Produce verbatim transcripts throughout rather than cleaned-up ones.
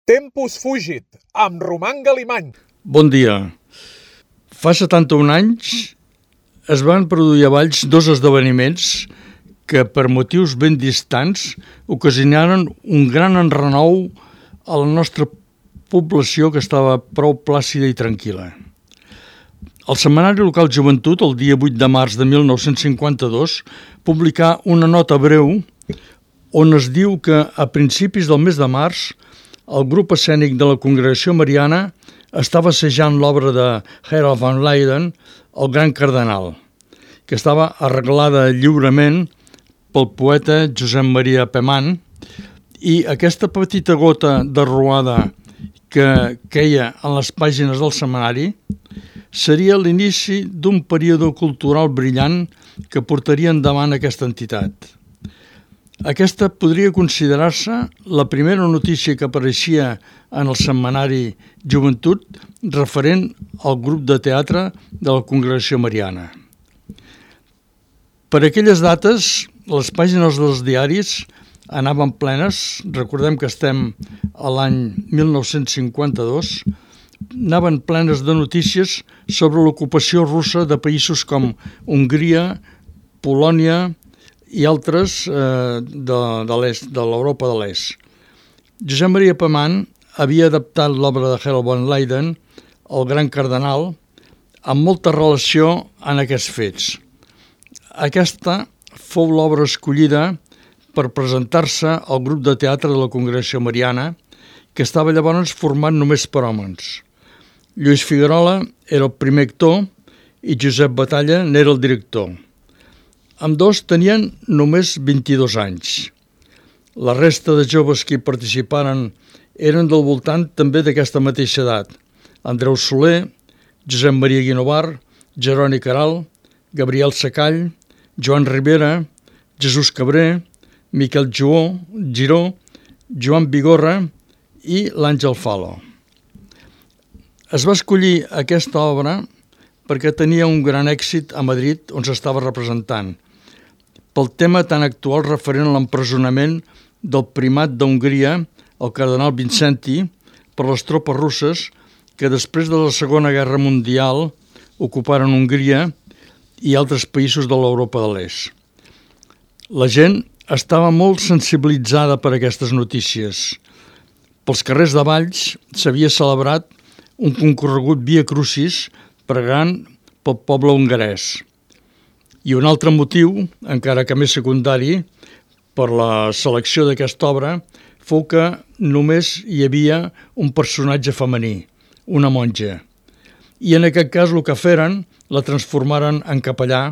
Tempus fugit, amb Roman Galimany. Bon dia. Fa setanta-un anys es van produir a Valls dos esdeveniments que, per motius ben distants, ocasionaren un gran enrenou a la nostra població, que estava prou plàcida i tranquil·la. El Setmanari Local Joventut, el dia vuit de març de mil nou-cents cinquanta-dos, publicà una nota breu on es diu que a principis del mes de març el grup escènic de la Congregació Mariana estava assajant l'obra de Harold van Leyden, El Gran Cardenal, que estava arreglada lliurement pel poeta Josep Maria Peman, i aquesta petita gota de ruada que queia en les pàgines del setmanari seria l'inici d'un període cultural brillant que portaria endavant aquesta entitat. Aquesta podria considerar-se la primera notícia que apareixia en el setmanari Joventut referent al grup de teatre de la Congregació Mariana. Per aquelles dates, les pàgines dels diaris anaven plenes, recordem que estem a l'any mil nou-cents cinquanta-dos, anaven plenes de notícies sobre l'ocupació russa de països com Hongria, Polònia i altres eh, de, de l'est, de l'Europa de l'est. Josep Maria Peman havia adaptat l'obra de Harold van Leyden, El Gran Cardenal, amb molta relació en aquests fets. Aquesta fou l'obra escollida per presentar-se al grup de teatre de la Congregació Mariana, que estava llavors format només per homes. Lluís Figuerola era el primer actor i Josep Batalla n'era el director. Ambdós tenien només vint-i-dos anys. La resta de joves que hi participaren eren del voltant també d'aquesta mateixa edat. Andreu Soler, Josep Maria Guinovar, Jeroni Caral, Gabriel Sacall, Joan Ribera, Jesús Cabré, Miquel Juó, Giró, Joan Vigorra i l'Àngel Falo. Es va escollir aquesta obra perquè tenia un gran èxit a Madrid, on s'estava representant, pel tema tan actual referent a l'empresonament del primat d'Hongria, el cardenal Vincenti, per les tropes russes que després de la Segona Guerra Mundial ocuparen Hongria i altres països de l'Europa de l'Est. La gent estava molt sensibilitzada per aquestes notícies. Pels carrers de Valls s'havia celebrat un concorregut Via Crucis pregant pel poble hongarès. I un altre motiu, encara que més secundari, per la selecció d'aquesta obra, fou que només hi havia un personatge femení, una monja. I en aquest cas el que feren, la transformaren en capellà,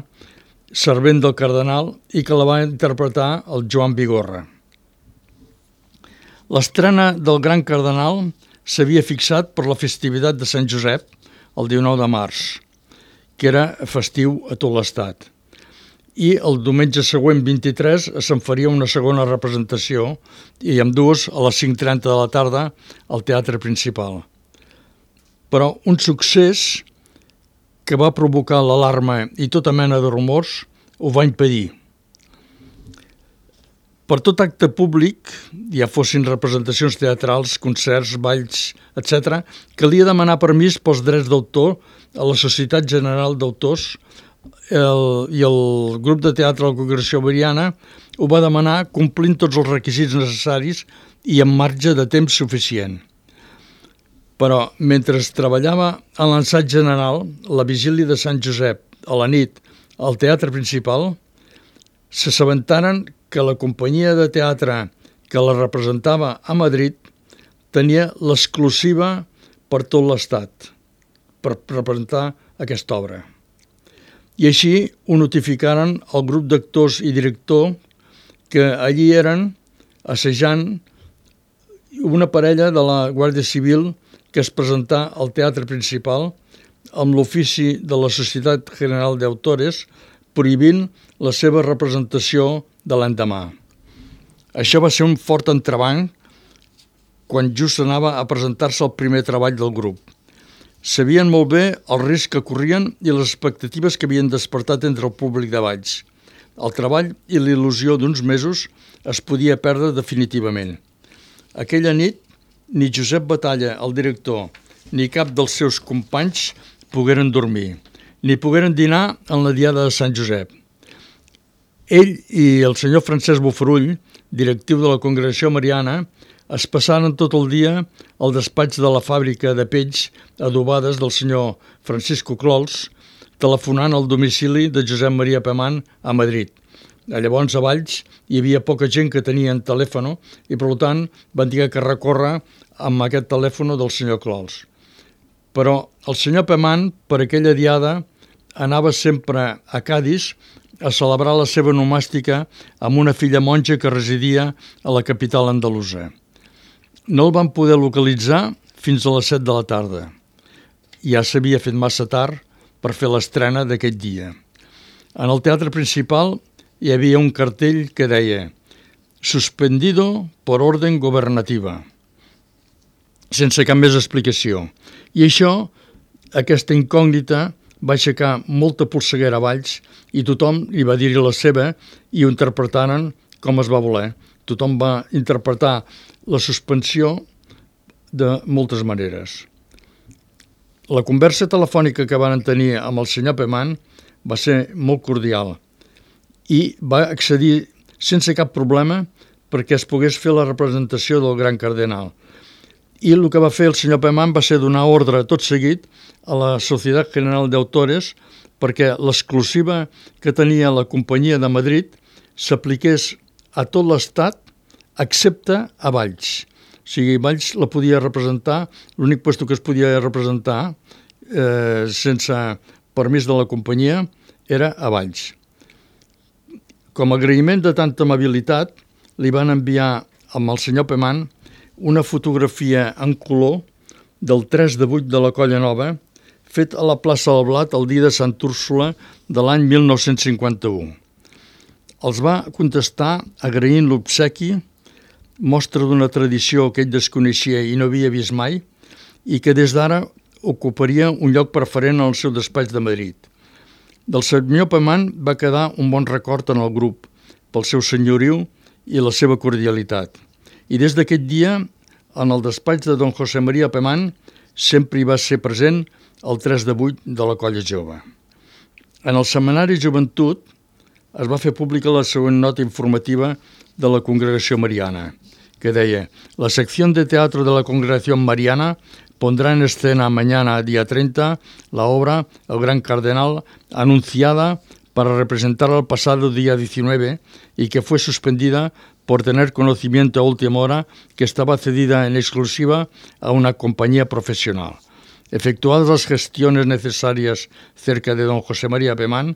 servent del cardenal, i que la va interpretar el Joan Vigorra. L'estrena del Gran Cardenal s'havia fixat per la festivitat de Sant Josep, el dinou de març, que era festiu a tot l'estat. I el diumenge següent, vint-i-tres, se'n faria una segona representació, i ambdues a les cinc trenta de la tarda al Teatre Principal. Però un succés que va provocar l'alarma i tota mena de rumors ho va impedir. Per tot acte públic, ja fossin representacions teatrals, concerts, balls, etcètera, calia demanar permís pels drets d'autor a la Societat General d'Autors el, i el grup de teatre de la Congregació Mariana ho va demanar complint tots els requisits necessaris i amb marge de temps suficient. Però mentre es treballava en l'ensat general, la vigília de Sant Josep, a la nit, al Teatre Principal, s'assabentaren que la companyia de teatre que la representava a Madrid tenia l'exclusiva per tot l'estat per representar aquesta obra. I així ho notificaren al grup d'actors i director que allí eren assajant una parella de la Guàrdia Civil que es presentà al Teatre Principal amb l'ofici de la Societat General d'Autores prohibint la seva representació de l'endemà. Això va ser un fort entrebanc quan just anava a presentar-se el primer treball del grup. Sabien molt bé el risc que corrien i les expectatives que havien despertat entre el públic de Valls. El treball i la il·lusió d'uns mesos es podia perdre definitivament. Aquella nit ni Josep Batalla, el director, ni cap dels seus companys pogueren dormir, ni pogueren dinar en la diada de Sant Josep. Ell i el senyor Francesc Bofarull, directiu de la Congregació Mariana, es passaren tot el dia al despatx de la fàbrica de pells adobades del senyor Francisco Clols, telefonant al domicili de Josep Maria Pemán a Madrid. Llavors, a Valls, hi havia poca gent que tenien telèfon i, per tant, van dir que recórrer amb aquest telèfon del senyor Clols. Però el senyor Pemán, per aquella diada, anava sempre a Cadis a celebrar la seva nomàstica amb una filla monja que residia a la capital andalusa. No el van poder localitzar fins a les set de la tarda. Ja s'havia fet massa tard per fer l'estrena d'aquest dia. En el teatre principal hi havia un cartell que deia «Suspendido por orden gobernativa», sense cap més explicació. I això, aquesta incògnita, va aixecar molta polseguera a Valls i tothom li va dir-hi la seva i ho interpretaren com es va voler. Tothom va interpretar la suspensió de moltes maneres. La conversa telefònica que van tenir amb el senyor Pemán va ser molt cordial i va accedir sense cap problema perquè es pogués fer la representació del gran cardenal. I el que va fer el senyor Pemán va ser donar ordre tot seguit a la Societat General de Autores perquè l'exclusiva que tenia la companyia de Madrid s'apliqués a tot l'estat excepte a Valls. O sigui, Valls la podia representar, l'únic lloc que es podia representar eh, sense permís de la companyia era a Valls. Com a agraïment de tanta amabilitat, li van enviar amb el senyor Pemán una fotografia en color del tres de vuit de la Colla Nova, fet a la plaça del Blat el dia de Sant Úrsula de l'any mil nou-cents cinquanta-u. Els va contestar agraint l'obsequi, mostra d'una tradició que ell desconeixia i no havia vist mai, i que des d'ara ocuparia un lloc preferent en el seu despatx de Madrid. Del senyor Pemán va quedar un bon record en el grup, pel seu senyoriu i la seva cordialitat. I des d'aquest dia, en el despatx de don José María Pemán, sempre hi va ser present el tres de vuit de la Colla Jove. En el setmanari Joventut es va fer pública la següent nota informativa de la Congregació Mariana, que deia: la sección de teatro de la Congregación Mariana pondrá en escena mañana, día treinta, la obra El Gran Cardenal, anunciada para representar el pasado día diecinueve y que fue suspendida por tener conocimiento a última hora que estaba cedida en exclusiva a una compañía profesional. Efectuadas las gestiones necesarias cerca de don José María Pemán,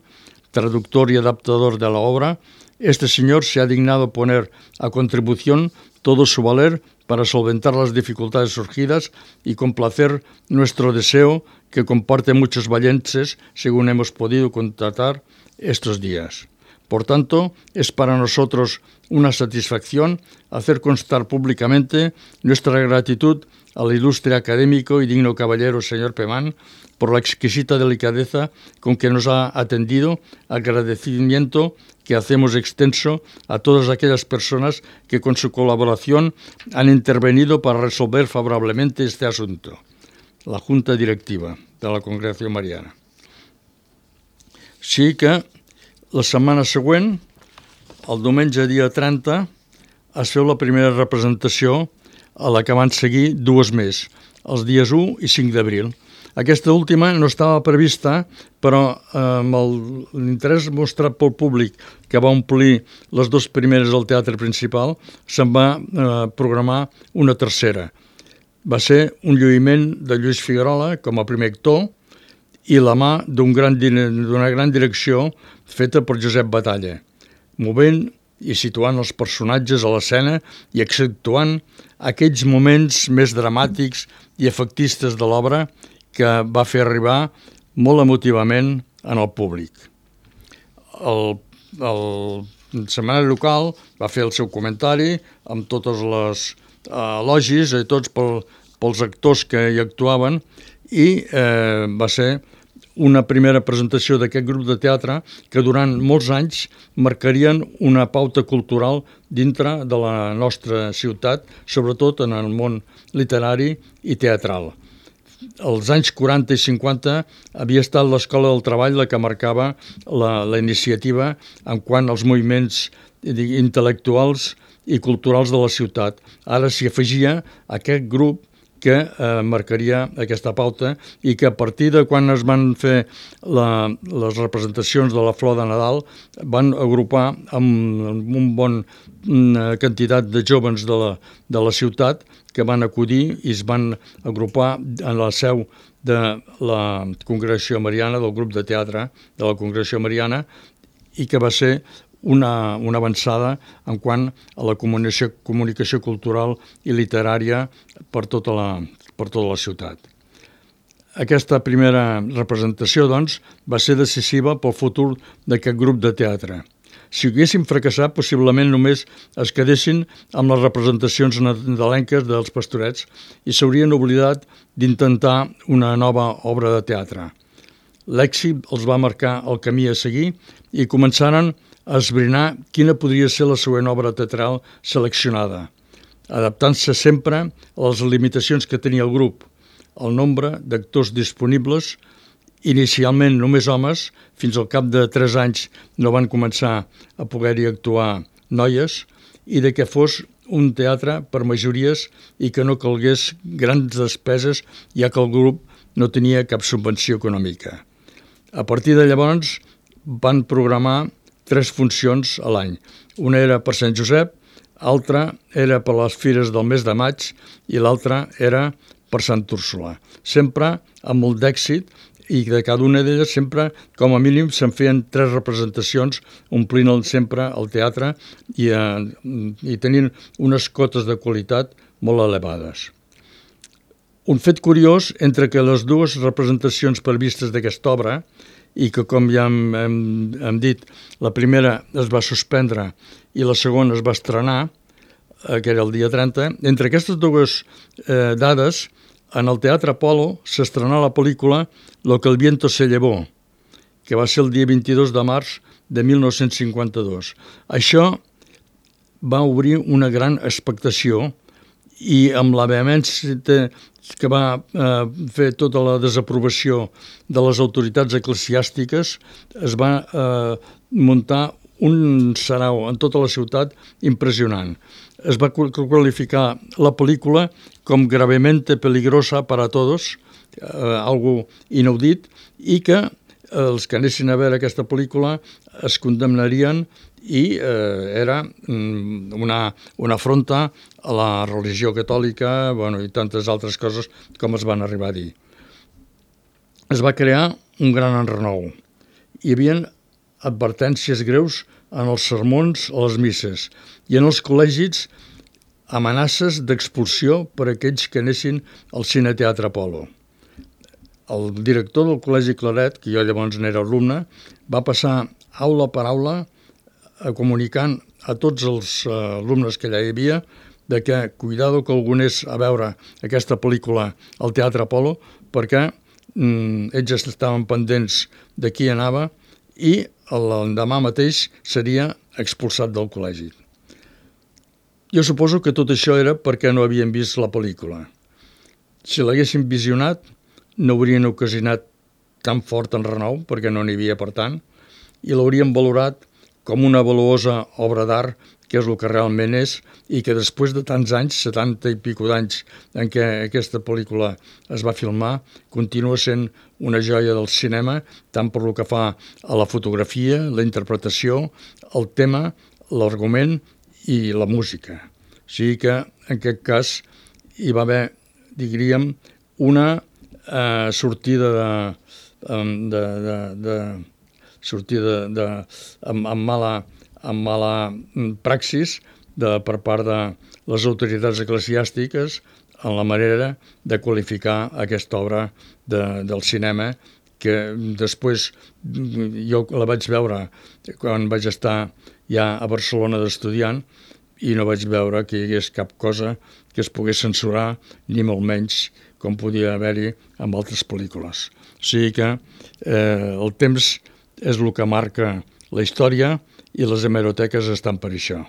traductor y adaptador de la obra, este señor se ha dignado poner a contribución todo su valer para solventar las dificultades surgidas y complacer nuestro deseo que comparte muchos vallenses, según hemos podido constatar estos días. Por tanto, es para nosotros una satisfacción hacer constar públicamente nuestra gratitud al ilustre académico y digno caballero señor Pemán por la exquisita delicadeza con que nos ha atendido, agradecimiento que hacemos extenso a todas aquellas personas que con su colaboración han intervenido para resolver favorablemente este asunto. La Junta Directiva de la Congregació Mariana. Sí que la setmana següent, el diumenge dia trenta, es feu la primera representació a la que van seguir dues més, els dies u i cinc d'abril. Aquesta última no estava prevista, però eh, amb l'interès mostrat pel públic que va omplir les dues primeres al teatre principal, se'n va eh, programar una tercera. Va ser un lluïment de Lluís Figuerola com a primer actor i la mà d'un gran, d'una gran direcció feta per Josep Batalla, movent i situant els personatges a l'escena i accentuant aquells moments més dramàtics i efectistes de l'obra que va fer arribar molt emotivament en el públic. El, el setmanari local va fer el seu comentari amb totes les elogis i tots pel, pels actors que hi actuaven i eh, va ser una primera presentació d'aquest grup de teatre que durant molts anys marcarien una pauta cultural dintre de la nostra ciutat, sobretot en el món literari i teatral. Als anys quaranta i cinquanta havia estat l'Escola del Treball la que marcava la, la iniciativa en quant als moviments intel·lectuals i culturals de la ciutat. Ara s'hi afegia aquest grup que eh, marcaria aquesta pauta i que a partir de quan es van fer la, les representacions de la Flor de Nadal van agrupar amb, amb un bon una quantitat de jóvens de la, de la ciutat que van acudir i es van agrupar en la seu de la Congregació Mariana, del grup de teatre de la Congregació Mariana, i que va ser una, una avançada en quant a la comunicació, comunicació cultural i literària per tota la, per tota la ciutat. Aquesta primera representació, doncs, va ser decisiva pel futur d'aquest grup de teatre. Si haguessin fracassat, possiblement només es quedessin amb les representacions nadalenques dels Pastorets i s'haurien oblidat d'intentar una nova obra de teatre. L'èxit els va marcar el camí a seguir i començaren a esbrinar quina podria ser la següent obra teatral seleccionada, adaptant-se sempre a les limitacions que tenia el grup, el nombre d'actors disponibles, inicialment només homes, fins al cap de tres anys no van començar a poder-hi actuar noies, i de que fos un teatre per majories i que no calgués grans despeses, ja que el grup no tenia cap subvenció econòmica. A partir de llavors van programar tres funcions a l'any. Una era per Sant Josep, altra era per les fires del mes de maig i l'altra era per Sant Úrsula. Sempre amb molt d'èxit i de cada una d'elles sempre, com a mínim, se'n feien tres representacions, omplint sempre el teatre i, eh, i tenint unes cotes de qualitat molt elevades. Un fet curiós, entre que les dues representacions previstes d'aquesta obra, i que, com ja hem, hem, hem dit, la primera es va suspendre i la segona es va estrenar, eh, que era el dia trenta, entre aquestes dues eh, dades, en el Teatre Apolo s'estrenà la pel·lícula Lo que el viento se llevó, que va ser el dia vint-i-dos de març de mil nou-cents cinquanta-dos. Això va obrir una gran expectació i amb la vehemència que va eh, fer tota la desaprovació de les autoritats eclesiàstiques, es va eh, muntar un sarau en tota la ciutat impressionant. Es va qualificar la pel·lícula com gravemente peligrosa para todos, eh, algo inaudit, i que els que anessin a veure aquesta pel·lícula es condemnarien i eh, era una, una afronta a la religió catòlica, bueno, i tantes altres coses com es van arribar a dir. Es va crear un gran enrenou. Hi havia advertències greus en els sermons a les misses i en els col·legis amenaces d'expulsió per a aquells que anessin al Cineteatre Apolo. El director del Col·legi Claret, que jo llavors n'era alumne, va passar aula per aula comunicant a tots els alumnes que allà hi havia de que cuidado que algú anés a veure aquesta pel·lícula al Teatre Apolo perquè mm, ells estaven pendents de qui anava i l'endemà mateix seria expulsat del col·legi. Jo suposo que tot això era perquè no havien vist la pel·lícula. Si l'haguessin visionat, no haurien ocasionat tan fort enrenou, perquè no n'hi havia per tant, i l'haurien valorat com una valuosa obra d'art, que és el que realment és, i que després de tants anys, setanta i pico d'anys en què aquesta pel·lícula es va filmar, continua sent una joia del cinema, tant per lo que fa a la fotografia, la interpretació, el tema, l'argument i la música. O sigui que, en aquest cas, hi va haver, diríem, una eh, sortida de, de, de, de sortida de, amb, amb, mala, amb mala praxis de, per part de les autoritats eclesiàstiques en la manera de qualificar aquesta obra de, del cinema, que després jo la vaig veure quan vaig estar ja a Barcelona d'estudiant i no vaig veure que hi hagués cap cosa que es pogués censurar, ni molt menys com podia haver-hi amb altres pel·lícules. O sigui que eh, el temps és el que marca la història i les hemeroteques estan per això.